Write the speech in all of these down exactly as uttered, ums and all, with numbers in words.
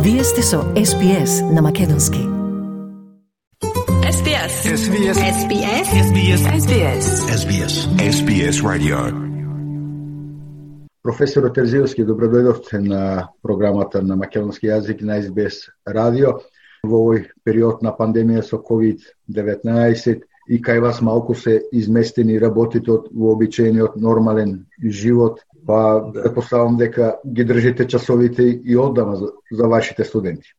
Вие сте со Ес Би Ес на македонски. Ес Би Ес. Ес Би Ес. Ес Би Ес. Ес Би Ес. Ес Би Ес. Ес Би Ес. Ес Би Ес Radio. Професор Терзиевски, добродојдовте на програмата на македонски јазик на Ес Би Ес Radio во овој период на пандемија со ковид деветнаесет и кај вас малку се изместени работите од вообичаениот нормален живот, па претпоставам дека ги држите часовите и оддама за, за вашите студенти.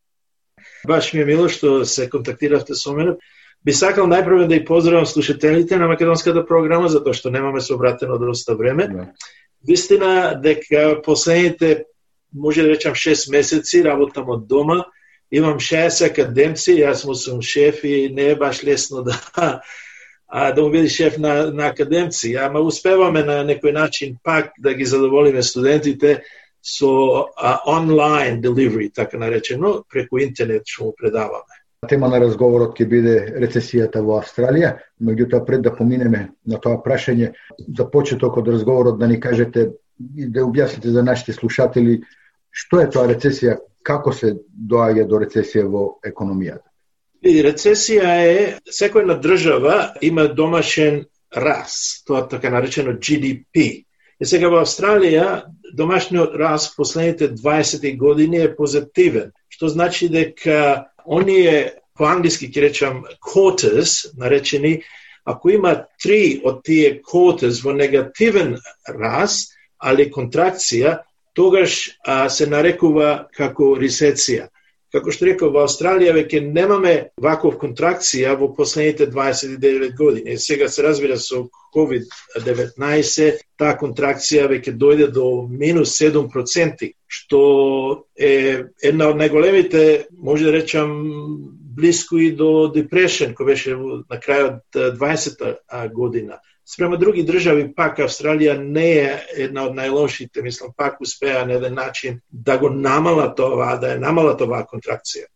Баш ми е мило што се контактиравте со мене. Би сакал најпрво да и поздравам слушателите на македонската програма, затоа што немаме собратено доста време. Да. Вистина дека последните, може да речам, шест месеци работам од дома. Имам шест академци, јас му сум шеф и не е баш лесно да а, да му биде шеф на, на академци. Ама успеваме на некој начин пак да ги задоволиме студентите со а, онлайн delivery, така наречено, преку интернет што му предаваме. Тема на разговорот ќе биде рецесијата во Австралија, меѓутоа пред да поминеме на тоа прашање, за почеток од разговорот да ни кажете и да објасните за нашите слушатели што е тоа рецесија, како се доаѓа до рецесија во економијата. И рецесија е, секоја држава има домашен раст, тоа така наречено Джи Ди Пи. И сега во Австралија домашниот раст последните дваесет години е позитивен, што значи дека оние, по англиски ќе речам quarters, наречени, ако има три од тие quarters во негативен раст, али контракција, тогаш а, се нарекува како рецесија. Како што реков, во Австралија веќе немаме ваков контракција во последните дваесет и девет години. Сега се разбира со ковид деветнаесет, таа контракција веќе дојде до минус седум проценти, што е една од најголемите, може да речам, блиско и до депрешен, кој беше на крајот дваесета година. Спрема други држави, пак Австралија не е една од најлошите, мислам, пак успеа на еден начин да го намала тоа, да е намала тоа контракција.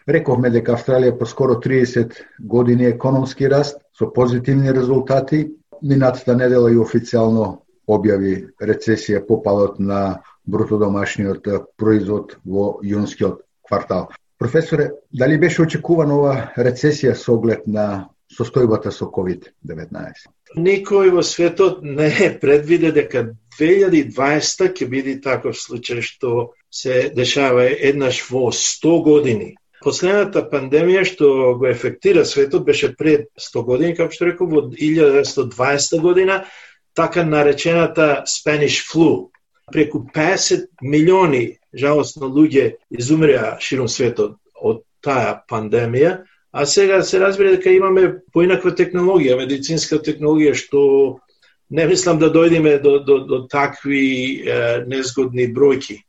Рековме дека Австралија по скоро триесет години економски раст, со позитивни резултати. Минатата недела и официјално објави рецесија по падот на брутодомашниот производ во јунскиот квартал. Професоре, дали беше очекувана ова рецесија со оглед на состојбата со ковид деветнаесет? Никој во светот не предвиде дека две илјади и дваесета ќе биде таков случај што се дешава еднаш во сто години. Последната пандемија што го ефектира светот беше пред сто години, како што реков, во илјада деветстотини и дваесета година, така наречената Spanish flu. Преку песет милиони жалосно луѓе изумреа широм светот од таа пандемија. А сега се разбира дека имаме поинаква технологија, медицинска технологија, што не мислам да дојдеме до, до, до такви е, незгодни бројки.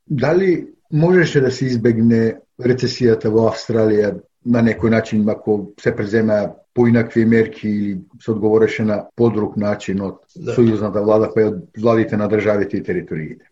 Дали можеше да се избегне рецесијата во Австралија на некој начин, ако се преземеа поинакви мерки или се одговореше на подруг начин од да. Сојузната влада, па и од владите на државите и териториите?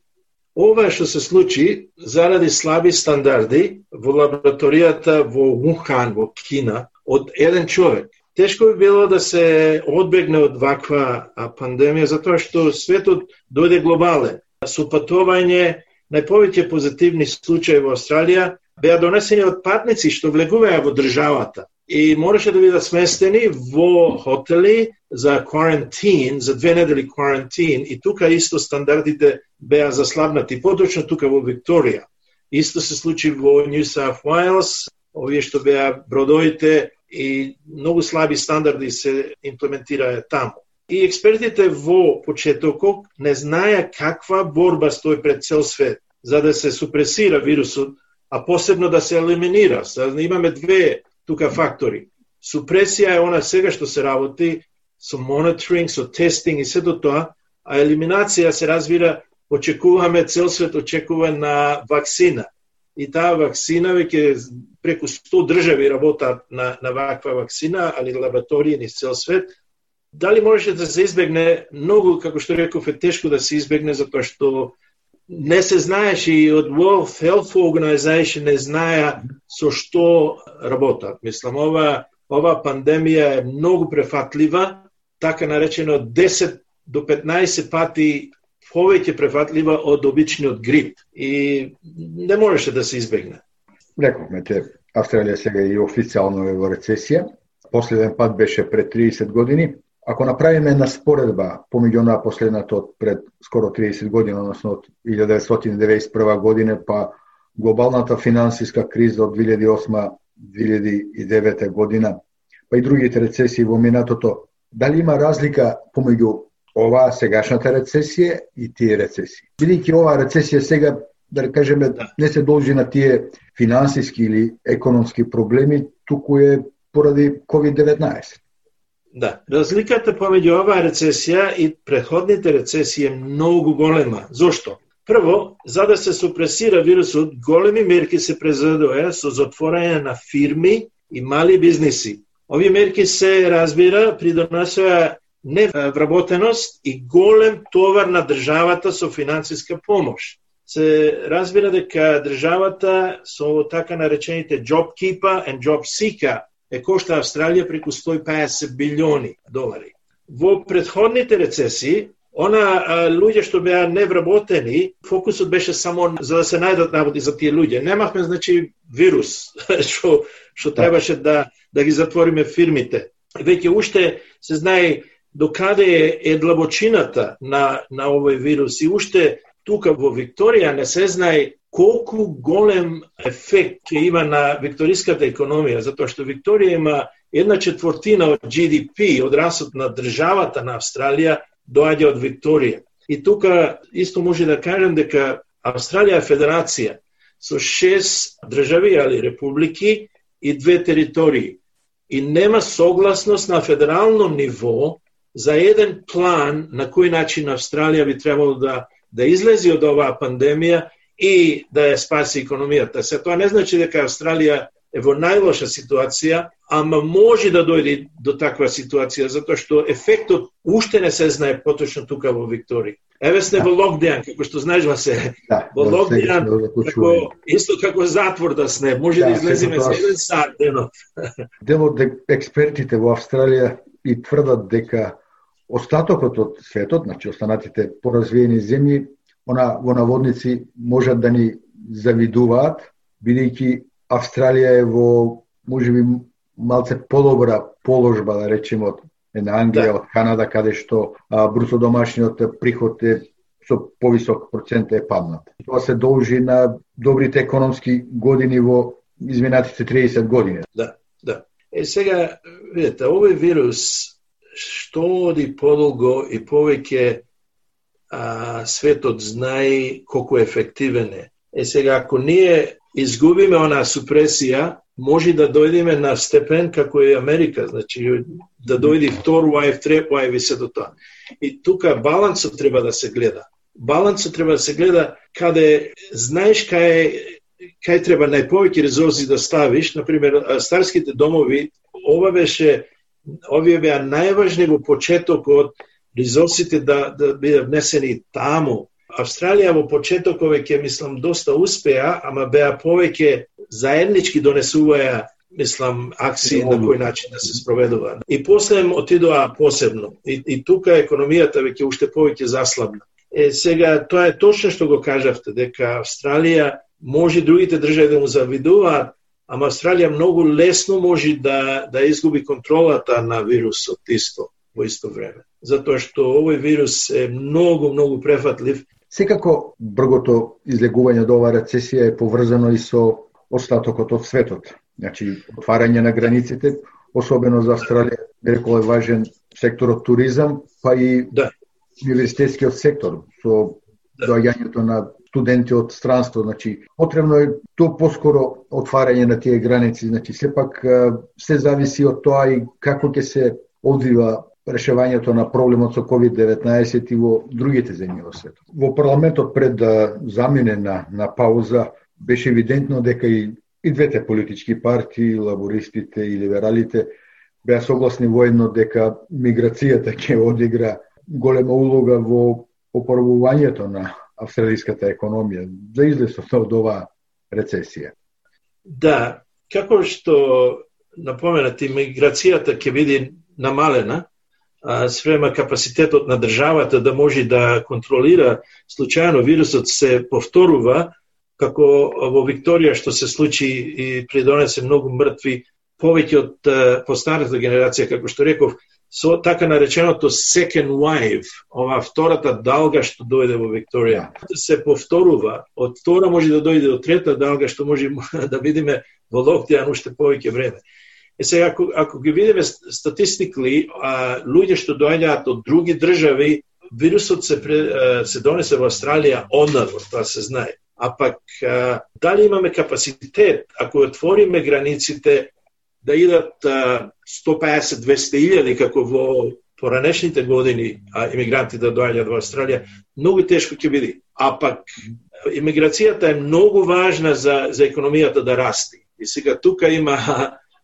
Ова што се случи заради слаби стандарди во лабораторијата во Вухан, во Кина, од еден човек. Тешко би било да се одбегне од ваква пандемија, затоа што светот дојде глобален. Со патување, најповеќе позитивни случаи во Австралија беа донесени од патници што влегуваја во државата и мораше да бидат сместени во хотели за кварантин, за две недели кварантин, и тука исто стандардите беа заслабнати, поточно тука во Викторија. Исто се случи во Нью Саут Уејлс, овие што беа бродовите и многу слаби стандарди се имплементираа таму. И експертите во почетокот не знаеа каква борба стои пред цел свет за да се супресира вирусот, а посебно да се елиминира. Имаме две тука фактори. Супресија е она сега што се работи со мониторинг, со тестинг и сето тоа, а елиминација се разбира, очекуваме, цел свет очекува на вакцина. И таа вакцина веќе преку сто држави работат на, на ваква вакцина, али лаборатории низ цел свет. Дали можеше да се избегне? Многу, како што реков, е тешко да се избегне, затоа што не се знаеше и од World Health Organization не знаеа со што работат. Мислам, ова, ова пандемија е многу префатлива, така наречено десет до петнаесет пати повеќе префатлива од обичниот грип и не можеше да се избегне. Рековме те, Австралија сега е официјално е во рецесија. Последен пат беше пред триесет години. Ако направиме една споредба помеѓу онаа последната од пред скоро триесет години, односно од илјада деветстотини деветдесет и прва година, па глобалната финансиска криза од две илјади и осма - две илјади и девета година, па и другите рецесии во минатото, дали има разлика помеѓу оваа сегашната рецесија и тие рецесии? Бидејќи оваа рецесија сега, да кажеме, не се должи на тие финансиски или економски проблеми, туку е поради ковид деветнаесет. Да, разликата помеѓу оваа рецесија и претходните рецесии е многу голема. Зошто? Прво, за да се супресира вирусот, големи мерки се презедоа со затворање на фирми и мали бизниси. Овие мерки се, разбира, придонесоа невработеност и голем товар на државата со финансиска помош. Се разбира дека државата со така наречените job keeper and job seeker е кошта Австралија преку сто и педесет билиони долари. Во претходните рецесии, она а, луѓе што беа невработени, фокусот беше само за да се најдат работи за тие луѓе. Немавме, значи, вирус што што требаше да да ги затвориме фирмите. Веќе уште се знае докаде е, е длабочината на на овој вирус и уште тука во Викторија не се знае колку голем ефект ќе има на викториската економија, затоа што Викторија има една четвртина од Джи Ди Пи, од расот на државата на Австралија, доаѓа од Викторија. И тука исто може да кажем дека Австралија е федерација со шест држави, али републики и две територии. И нема согласност на федерално ниво за еден план на кој начин Австралија би требало да да излези од оваа пандемија и да ја спаси економијата. Се тоа не значи дека Австралија е во најлоша ситуација, ама може да дојде до таква ситуација, затоа што ефектот уште не се знае поточно тука во Викторија. Еве сте да. Во локдаун, како што знаеш, Васе. Да, во локдаун, како, исто како затвор да сне, може да, да излеземе за еден сат денот. Дел од експертите во Австралија и тврдат дека остатокот од светот, значи останатите поразвиени земји, она во наводници можат да ни завидуваат, бидејќи Австралија е во, можеби, малце подобра положба, да речеме, од една Англија, да. Од Канада, каде што а, бруто домашниот приход е со повисок процент е паднат. Тоа се должи на добрите економски години во изминатите триесет години. Да, да. Е сега, видите, овој вирус што оди подолго и повеќе а, светот знае колку ефективен е. Е сега, ако ние изгубиме онаа супресија, може да дојдеме на степен како е Америка, значи да дојде втор лајв, трет лајв и се до тоа. И тука балансот треба да се гледа. Балансот треба да се гледа каде знаеш кај кај треба најповеќе ресурси да ставиш, например старските домови, ова беше овие беа најважни во почетокот ресурсите да да бидат внесени таму. Австралија во почетокот веќе мислам доста успеа, ама беа повеќе заеднички донесуваја, мислам, акции на кој начин да се спроведува. И после отидоа посебно. И, и тука економијата веќе уште повеќе заслабна. Е, сега, тоа е точно што го кажавте, дека Австралија може другите држави да му завидуваат, ама Австралија многу лесно може да, да изгуби контролата на вирусот исто, во исто време. Затоа што овој вирус е многу, многу префатлив. Секако, бргото излегување од оваа рецесија е поврзано и со остатокот од светот. Значи, отварање на границите, особено за Австралија, рекол е важен секторот туризам, па и да. Универзитетскиот сектор, со да. Доаѓањето на студенти од странство, значи, потребно е то поскоро отварање на тие граници, значи, сепак се зависи од тоа и како ќе се одвива решавањето на проблемот со ковид деветнаесет и во другите земји во светот. Во парламентот пред да замине на, на пауза, беше евидентно дека и, и двете политички партии, лабористите и либералите, беа согласни воедно дека миграцијата ќе одигра голема улога во опорвувањето на австралиската економија за излезот од оваа рецесија. Да, како што напоменати, миграцијата ќе биде намалена, спрема капацитетот на државата да може да контролира случајно вирусот се повторува, како во Викторија што се случи и придонесе многу мртви, повеќе од постарата генерација, како што реков, со така нареченото second wave, ова втората далга што дојде во Викторија, се повторува. Од втора може да дојде до трета далга, што може да видиме во локдаун уште повеќе време. Е сега, ако, ако ги видиме статистикли, а, луѓе што доаѓаат од други држави, вирусот се, се донесе во Австралија однадвор, тоа се знае. А пак, а, дали имаме капацитет, ако отвориме границите, да идат сто песет до двесте илјади, како во поранешните години а, имигранти да доаѓаат во Австралија, многу тешко ќе биде. А пак, имиграцијата е многу важна за, за економијата да расти. И сега тука има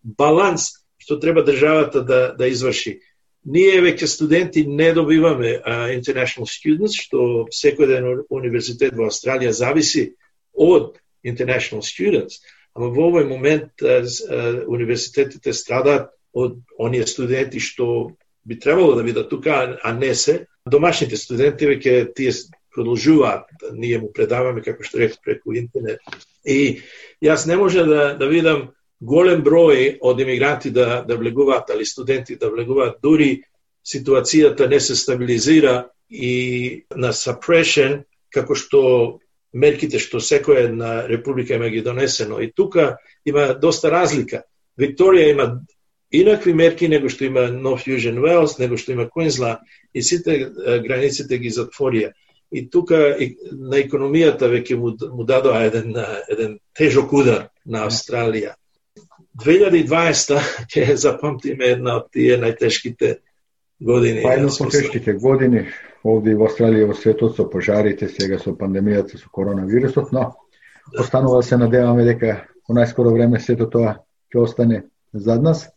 баланс што треба државата да, да изврши. Ние веќе студенти не добиваме uh, international students, што секој ден универзитет во Австралија зависи од international students. Ама во овој момент uh, uh, универзитетите страдаат од оние студенти што би требало да бидат тука, а не се. Домашните студенти веќе тие продолжуваат, ние му предаваме, како што реков, преку интернет. И јас не може да, да видам голем број од имигранти да, да влегуваат, али студенти да влегуваат, дури ситуацијата не се стабилизира и на suppression, како што мерките што секоја една република има ги донесено. И тука има доста разлика. Викторија има инакви мерки него што има North Fusion Wales, него што има Queensland, и сите границите ги затворија. И тука и, на економијата веќе му, му дадоа еден, еден тежок удар на Австралија. две илјади и дваесета ќе запамтиме една од тие најтешките години. Па едно од тешките години овде во Австралија и во светот со пожарите, сега со пандемијата, со коронавирусот, но да. Останува се надеваме дека во најскоро време сето тоа ќе остане зад нас.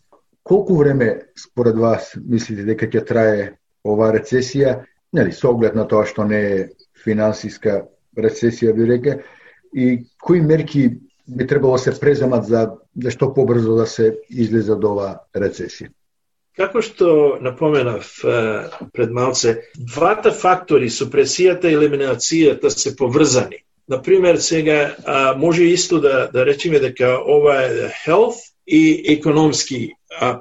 Колку време според вас мислите дека ќе трае оваа рецесија, нели, со оглед на тоа што не е финансиска рецесија, би реке, и кои мерки би требало се преземат за да што побрзо да се излезе од оваа рецесија? Како што напоменав пред малце, двата фактори, супресијата и елиминацијата, се поврзани. Например, сега може исто да, да речеме дека ова е health и економски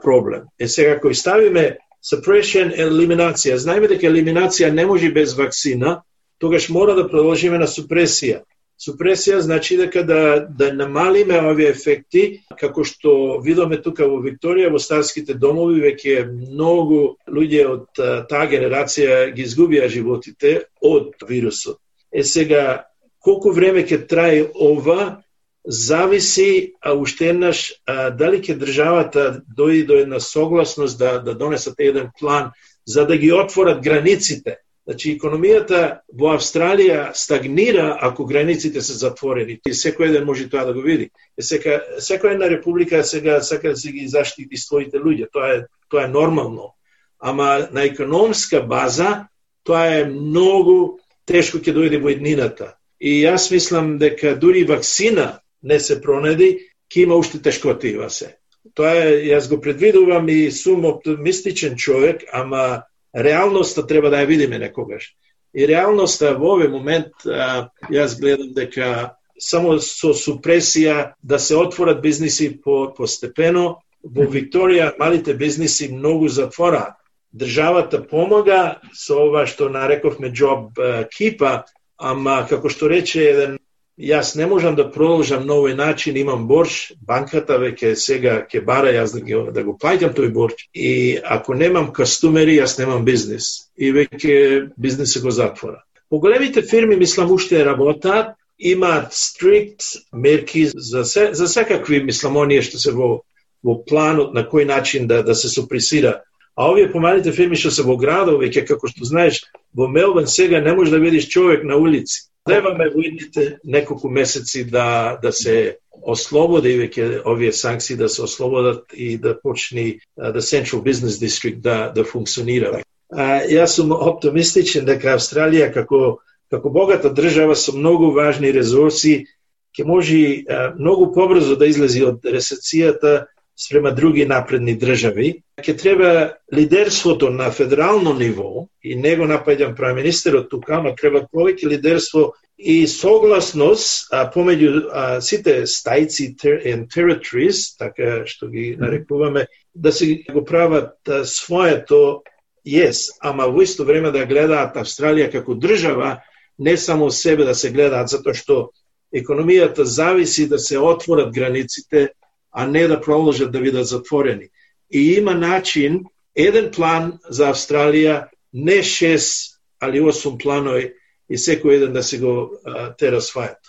проблем. Е сега, ако ставиме suppression и елиминација, знаеме дека елиминација не може без вакцина, тогаш мора да продолжиме на супресија. Супресија значи дека да, да намалиме овие ефекти, како што видоме тука во Викторија, во старските домови, веќе многу луѓе од таа генерација ги изгубија животите од вирусот. Е сега, колку време ќе трае ова, зависи, а уште еднаш, а, дали ќе државата дојде до една согласност да, да донесат еден план за да ги отворат границите. Значи, економијата во Австралија стагнира ако границите се затворени. И секој ден може тоа да го види. И сека, секоја една република сега сака да се ги заштити своите луѓе. Тоа е, тоа е нормално. Ама на економска база тоа е многу тешко ќе дојде во еднината. И јас мислам дека дури вакцина не се пронајде, ќе има уште тешкоти во се. Тоа е, јас го предвидувам и сум оптимистичен човек, ама реалноста треба да ја видиме некогаш. И реалноста во овој момент, а, јас гледам дека само со супресија да се отворат бизниси по, постепено. Во Викторија малите бизниси многу затвораат. Државата помага со ова што нарековме job keeper, ама како што рече еден, јас не можам да продолжам на овој начин, имам борч, банката веќе сега ќе бара јас да, ги, да го плаќам тој борч, и ако немам кастумери, јас немам бизнис. И веќе бизнисот го затвора. Поголемите фирми, мислам, уште работат, имаат стрикт мерки за, се, за секакви, мислам, оние што се во, во планот на кој начин да, да се супресира. А овие помалите фирми што се во градови, веќе како што знаеш, во Мелбурн сега не можеш да видиш човек на улици. Требаме во идните неколку месеци да, да се ослободи веќе овие санкции, да се ослободат и да почне да Central Business District да, да функционира. А, јас сум оптимистичен дека Австралија како, како богата држава со многу важни ресурси ќе може а, многу побрзо да излези од рецесијата спрема други напредни држави. Ќе треба лидерството на федерално ниво, и него напаѓам премиерот тука, ама треба повеќе лидерство и согласност а, помеѓу а, сите стајци and territories, така што ги нарекуваме, да се го прават а, своето, yes, ама во исто време да гледаат Австралија како држава, не само себе да се гледаат, затоа што економијата зависи да се отворат границите, а не да продолжат да бидат затворени. И има начин, еден план за Австралија, не шест, али осум планови, и секој еден да се го а, те расвајат.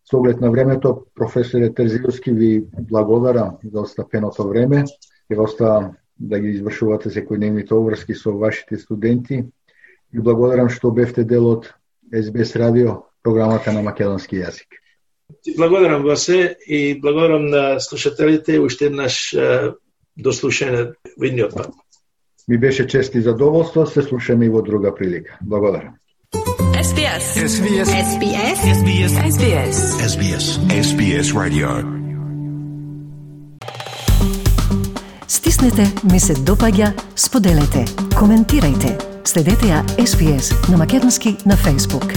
Со оглед на времето, професоре Терзиевски, ви благодарам за остапеното време и оста да ги извршувате секојдневните обврски со вашите студенти. И благодарам што бевте дел од Ес Би Ес радио, програмата на македонски јазик. Благодарам вас и благодарам на слушателите уште еднаш до слушање во идниот пат. Ми беше чест и задоволство, се слушаме и во друга прилика. Благодарам. Ес Би Ес. Ес Би Ес. Ес Би Ес. Ес Би Ес. Ес Би Ес. Ес Би Ес. Ес Би Ес Radio. Стиснете, ми се допаѓа, споделете, коментирајте. Следете ја Ес Би Ес на македонски на Facebook.